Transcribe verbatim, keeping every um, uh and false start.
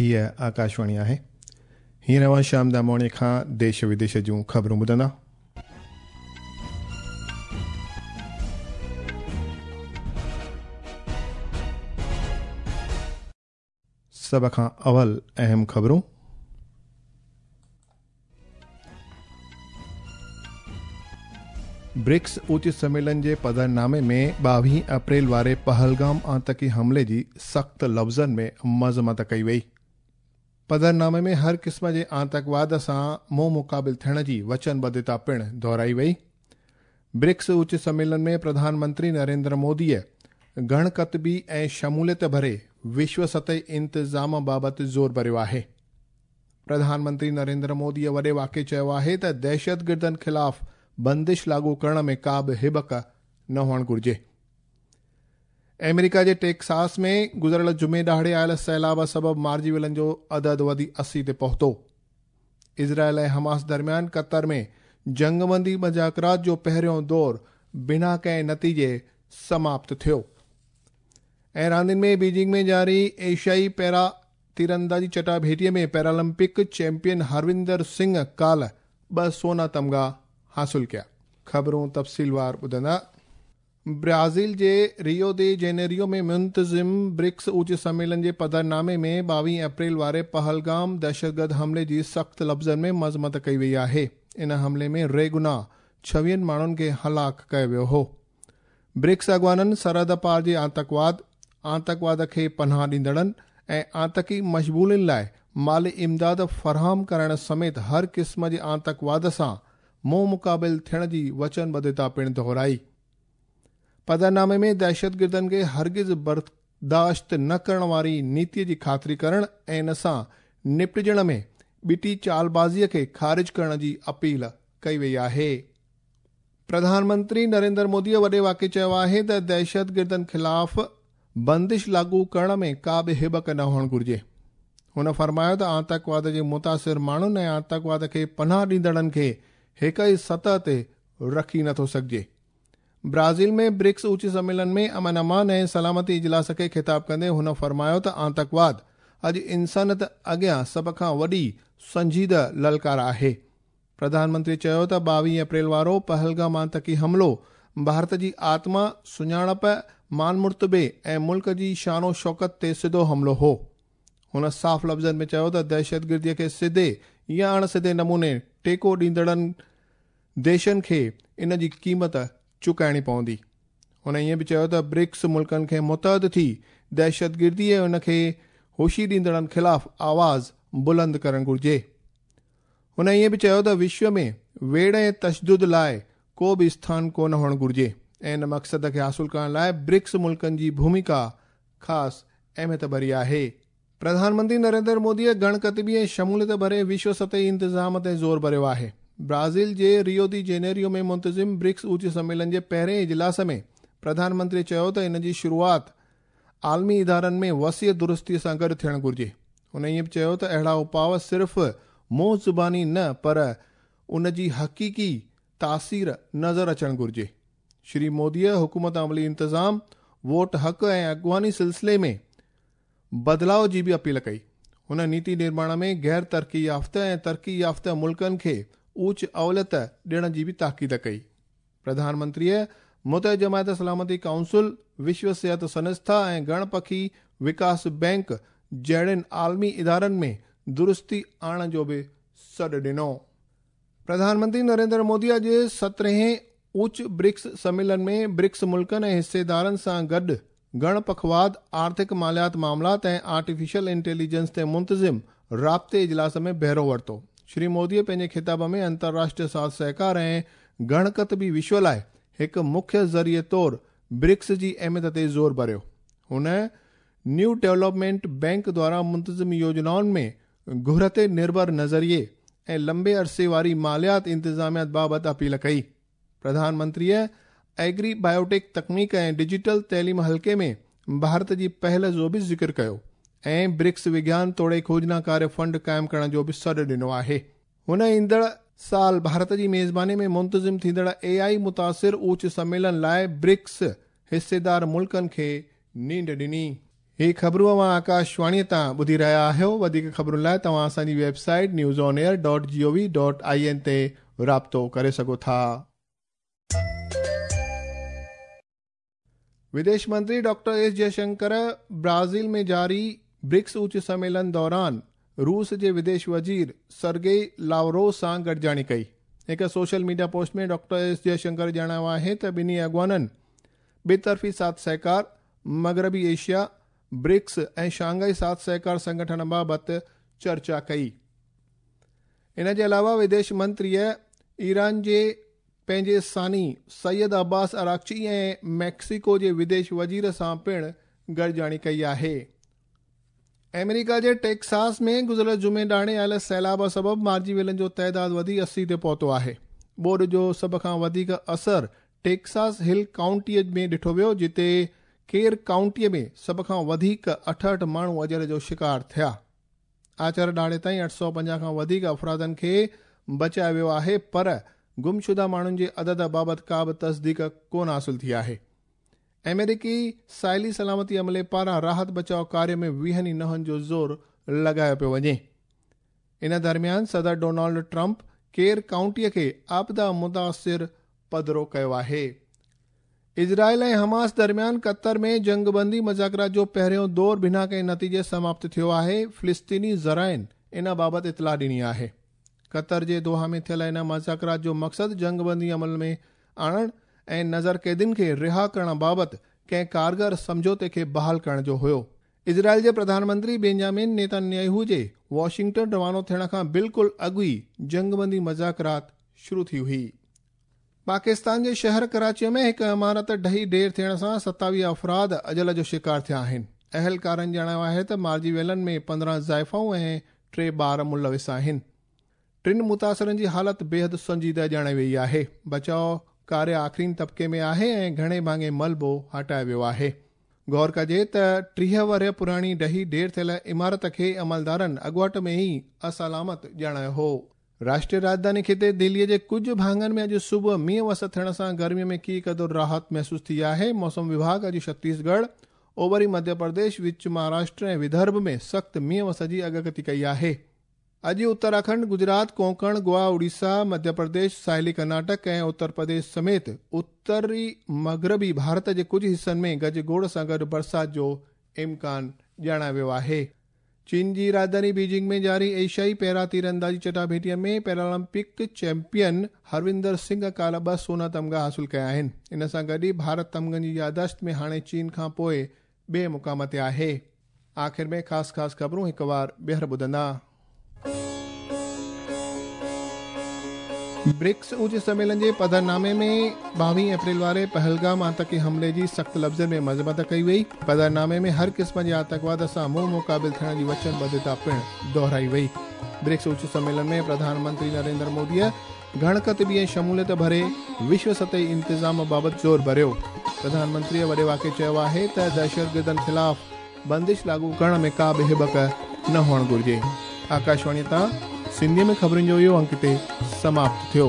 हीअ आकाशवाणी आहे। हींअर अव्हां श्याम दामोणी खां देश विदेश जूं ख़बरूं ॿुधंदा। सभ खां अवल अहम ख़बरूं। ब्रिक्स उच्च सम्मेलन जे पधरनामे में ॿावीह अप्रैल वारे पहलगाम आतंकी हमले जी सख़्त लफ़्ज़नि में मज़मत कई वई। पधरनामे में हर क़िस्म जे आतंकवाद सां मुंहुं मुक़ाबिल थियण जी वचनबद्धता पिणु दोहराई वई। ब्रिक्स उच्च सम्मेलन में प्रधानमंत्री नरेंद्र मोदीअ घणकतबी ऐं शमूलियत भरे विश्व सतही इंतज़ाम बाबति ज़ोर भरियो आहे। प्रधानमंत्री नरेंद्र मोदीअ वॾे वाक़े चयो आहे त दहशतगिर्दनि ख़िलाफ़ बंदिश लागू करण में का बि हिबक न हुअणु घुरिजे। अमेरिका जे टेक्सास में गुज़िरियल जुमे ॾिहाड़े आयल सैलाब सबबि मारिजी वियलनि जो अदद वधी असी ते पहुतो। इज़राइल ऐं हमास दरमियान कतर में जंगबंदी मुज़ाकरात जो पहिरियों दौर बिना कंहिं नतीजे समाप्त थियो। ऐं रांदियुनि में बीजिंग में जारी एशियाई पैरा तीरंदाजी चटाभेटीअ में पैरालंपिक चैंपियन हरविंदर सिंह काल्ह ॿ सोना तमगा हासिल कया। ख़बरूं तफ़सीलवार ॿुधंदा। ब्राज़ील जे रियो दे जेनेरियो में मुंतज़िम ब्रिक्स उच्च सम्मेलन जे पधरनामे में ॿावीह अप्रैल वारे पहलगाम दहशतगर्द हमले जी सख़्त लफ़्ज़नि में मज़मत कई वई आहे। इन हमले में रेगुनाह छवीहनि माण्हुनि खे हलाक कयो वियो हो। ब्रिक्स अॻवाननि सरहद पार जे आतंकवाद, आतंकवाद खे पनाह ॾींदड़नि ऐं आतंकी मशबूलिन लाइ माली इमदाद फराहम करण समेत हर क़िस्म जे आतंकवाद सां मुंहुं मुक़ाबिल थियण जी वचनबद्धता पिणु दोहराई। पधरनामे में दहशतगिर्दनि खे हरगिज़ बर्दाश्त न करण वारी नीतीअ जी ख़ातिरी करण ऐं इन सां निपटिजण में ॿिटी चालबाज़ीअ खे ख़ारिज करण जी अपील कई वई आहे। प्रधानमंत्री नरेंद्र मोदीअ वॾे वाक़े चयो आहे त दहशतगिर्दनि ख़िलाफ़ बंदिश लागू करण में का बि हिबक न हुअणु घुरिजे। हुन फरमायो त आतंकवाद जे मुतासिर माण्हुनि ऐं आतंकवाद खे पनाह ॾींदड़नि खे हिक ई सतह ते रखी नथो सघिजे। ब्राज़ील में ब्रिक्स उच्च सम्मेलन में अमन अमान ऐं सलामती इजलास खे ख़िताब कंदे हुन फरमायो त आतंकवाद अॼु इंसानियत अॻियां सभ खां वॾी संजीदा ललकार आहे। प्रधानमंत्री चयो त ॿावीह अप्रैल वारो पहलगाम आतंकी हमलो भारत जी आत्मा, सुञाणप, मान मुर्तबे ऐं मुल्क जी शानो शौकत ते सिधो हमलो हो। हुन साफ़ लफ़्ज़नि में चयो त दहशतगिर्दीअ खे सिधे या अण सिधे नमूने टेको ॾींदड़नि देशनि खे इन जी क़ीमत चुकाइणी पवंदी। हुन ईअं बि चयो त ब्रिक्स मुल्कनि खे मुतहद थी दहशतगिर्दी ऐं उन खे होशी ॾींदड़नि ख़िलाफ़ आवाज़ बुलंद करणु घुरिजे। हुन ईअं बि चयो त विश्व में वेड़ ऐं तशदुद लाइ को बि स्थान कोन हुअणु घुरिजे ऐं इन मक़सद खे हासिल करण लाइ ब्रिक्स मुल्कनि जी भूमिका ख़ासि अहमियत भरी आहे। प्रधानमंत्री नरेंद्र मोदीअ गणकतबी ऐं शमूलियत भरे विश्व सतही इंतज़ाम ते ज़ोर भरियो आहे। ब्राज़ील जे रियो दी जेनेरियो में मुंतज़िम ब्रिक्स उच्च सम्मेलन जे पहिरें इजलास में प्रधानमंत्री चयो त इन जी शुरूआत आलमी इदारनि में वसीअ दुरुस्तीअ सां गॾु थियणु घुरिजे। हुन ईअं बि चयो त अहिड़ा उपाव सिर्फ़ु मुंहुं ज़ुबानी न पर उन जी हक़ीक़ी तासीर नज़र अचणु घुरिजे। श्री मोदीअ हुकूमत अमली इंतज़ाम, वोट हक़ ऐं अॻवानी सिलसिले में बदिलाव जी बि अपील कई। हुन नीति निर्माण में गैर तरक़ी याफ़्ता ऐं तरक़ी याफ़्ता मुल्कनि खे ऊच अवलियत ॾियण जी बि ताक़ीद कई। प्रधानमंत्रीअ मुतहद जमायत सलामती काउंसिल, विश्व सिहत संस्था ऐं गणपखी विकास बैंक जहिड़नि आलमी इदारनि में दुरुस्ती आणण जो बि सॾु ॾिनो। प्रधानमंत्री नरेंद्र मोदी अॼु सतरहें उच्च ब्रिक्स सम्मेलन में ब्रिक्स मुल्कनि ऐं हिस्सेदारनि सां गॾु गणपखवाद, आर्थिक मालियात मामलात ऐं आर्टिफिशियल इंटेलिजेंस ते मुंतज़िम राब्ते इजलास में बहिरो वरितो। श्री मोदीअ पंहिंजे ख़िताब में अंतर्राष्ट्रीय साथ सहकार ऐं गणकतबी विश्व लाइ हिकु मुख्य ज़रिए तौर ब्रिक्स जी अहमियत ते ज़ोर भरियो। हुन न्यू डेवलपमेंट बैंक द्वारा मुंतज़िम योजनाउनि में घुर ते निर्भर नज़रिए ऐं लंबे अरसे वारी मालियात इंतज़ामियात बाबति अपील कई। प्रधानमंत्रीअ एग्री बायोटेक तकनीक ऐं डिजिटल तइलीम हल्के में भारत जी पहल जो बि ज़िक्र कयो ऐं ब्रिक्स विज्ञान तोड़े खोजना कार्य फंड क़ाइमु करण जो बि सॾु ॾिनो आहे। हुन ईंदड़ साल भारत जी मेज़बानी में मुंतज़िम थींदड़ ए आई मुतासिर उच्च सम्मेलन लाइ ब्रिक्स हिस्सेदार मुल्कनि खे नींड ॾिनी। ही ख़बरूं अव्हां आकाशवाणीअ तां ॿुधी रहिया आहियो। वधीक ख़बरुनि लाइ तव्हां असांजी website news on air dot G O V dot I N ते राब्तो करे सघो था। विदेश मंत्री डॉक्टर एस जयशंकर ब्राज़ील में जारी ब्रिक्स उच्च सम्मेलन दौरान रूस जे विदेश वज़ीर सर्गेई लावरोव सां गॾिजाणी कई। हिकु social media post में डॉक्टर एस जयशंकर ॼाणायो आहे त ॿिन्ही अॻुवाननि ॿितरफ़ी साथ सहकार, मग़रबी एशिया, ब्रिक्स ऐं शांघाई साथ सहकार संगठन बाबति चर्चा कई। इन जे अलावा विदेश मंत्रीअ ईरान जे पंहिंजे सानी सैयद अब्बास अराक़ची ऐं मैक्सिको जे विदेश वज़ीर सां पिणु गॾिजाणी कई आहे। अमेरिका जे टेक्सास में गुज़िरियल जुमे ॾाणे आयल सैलाब सबबु मारिजी वियलनि जो ताइदाद वधी असी ते पहुतो आहे। ॿोॾ जो सभ खां वधीक असर टेक्सास हिल काउंटीअ में ॾिठो वियो, जिते केर काउंटीअ में सभ खां वधीक अठहठि माण्हू अजल जो शिकार थिया। आचर ॾाणे ताईं अठ सौ पंजाह खां वधीक अफ़रादनि खे बचायो वियो आहे, पर गुमशुदा माण्हुनि जे अदद बाबति का बि तस्दीक कोन हासिल थी आहे। अमेरिकी साहिली सलामती अमले पारां राहत बचाव कार्य में वीहनि नहनि जो ज़ोर लॻायो पियो वञे। इन दरमियान सदर डोनाल्ड ट्रंप केर काउंटीअ खे आपदा मुतासिर पधरो कयो आहे। इज़राइल ऐं हमास दरमियान कतर में जंगबंदी मुज़ाकरात जो पहिरियों दौर बिना कंहिं नतीजे समाप्त थियो आहे। फ़िलिस्तीनी ज़राइन इन बाबति इतला ॾिनी आहे। कतर जे दोहा में थियल इन मुज़ाकरात जो मक़सदु जंगबंदी अमल में आणण ऐं नज़र क़ैदियुनि खे रिहा करण बाबति कंहिं कारगर सम्झौते खे बहाल करण जो हुयो। इज़राइल जे प्रधानमंत्री बेंजामिन नेतन्याहू जे वॉशिंगटन रवानो थियण खां बिल्कुलु अॻु ई जंगबंदी मुज़ाकरात शुरू थी हुई। पाकिस्तान जे शहर कराचीअ में हिकु इमारत ढही ढेर थियण सां सतावीह अफ़राद अजल जो शिकार थिया आहिनि। अहलकारनि ॼाणायो आहे त मारिजी वियलनि में पंद्रहं ज़ाइफ़ाऊं ऐं टे ॿार मुलविस आहिनि। टिनि मुतासिरनि जी हालत बेहद संजीदा ॼाणाई वई आहे। बचाव कार्य आख़िरीन तबिके में आहे ऐं घणे भाङे मलबो हटायो वियो आहे। गौर कजे त टीह वरह पुराणी ढही ढेर थियल इमारत खे अमलदारनि अॻुवाट में ई असलामत ॼाणायो हो। राष्ट्रीय राजधानी खिते दिल्लीअ जे कुझु भाङनि में अॼु सुबुह मींहुं वस थियण सां गर्मीअ में की क़दुरु राहत महसूसु थी आहे। मौसम विभाग अॼु छत्तीसगढ़, ओभरी मध्य प्रदेश, विच महाराष्ट्र ऐं विदर्भ में सख़्तु मींहुं वस जी अॻकथी कई आहे। अॼु उत्तराखंड, गुजरात, कोंकण, गोवा, उड़ीसा, मध्य प्रदेश, साहिली कर्नाटक ऐं उत्तर प्रदेश समेत उत्तरी मग़रबी भारत जे कुझु हिसनि में गजगोड़ सां गॾु बरसाति जो इम्कान ॼाणायो वियो आहे। चीन जी राजधानी बीजिंग में जारी एशियाई पैरा तीरंदाजी चटाभेटीअ में पैरालंपिक चैंपियन हरविंदर सिंह काल्ह ॿ सोना तमगा हासिल कया आहिनि। इन सां गॾु ई भारत तमगनि जी यादाश्त में हाणे चीन खां पोइ ॿिए मुक़ाम ते आहे। आख़िर में ख़ासि ख़ासि ख़बरूं हिकु वार ॿीहर ॿुधंदा। ब्रिक्स उच्च सम्मेलन जे पधरनामे में ॿावीह अप्रैल वारे पहलगाम आतंकी हमले जी सख़्तु लफ़्ज़नि में मज़म्मत कई वई। पधरनामे में हर क़िस्म जे आतंकवाद सां मुंहुं मुक़ाबिल थियण जी वचनबद्धता पिणु दोहराई वई। ब्रिक्स उच्च सम्मेलन में प्रधानमंत्री नरेंद्र मोदीअ घणकतबी ऐं शमूलियत भरे विश्व सतही इंतिज़ाम बाबति ज़ोर भरियो। प्रधानमंत्रीअ वॾे वाक़े चयो आहे त दहशतगर्दनि ख़िलाफ़ बंदिश लागू करण में का बि हिबक न हुअणु घुरिजे। आकाशवाणी तां सिंधीअ में ख़बरुनि जो इहो अंक हिते समाप्त थियो।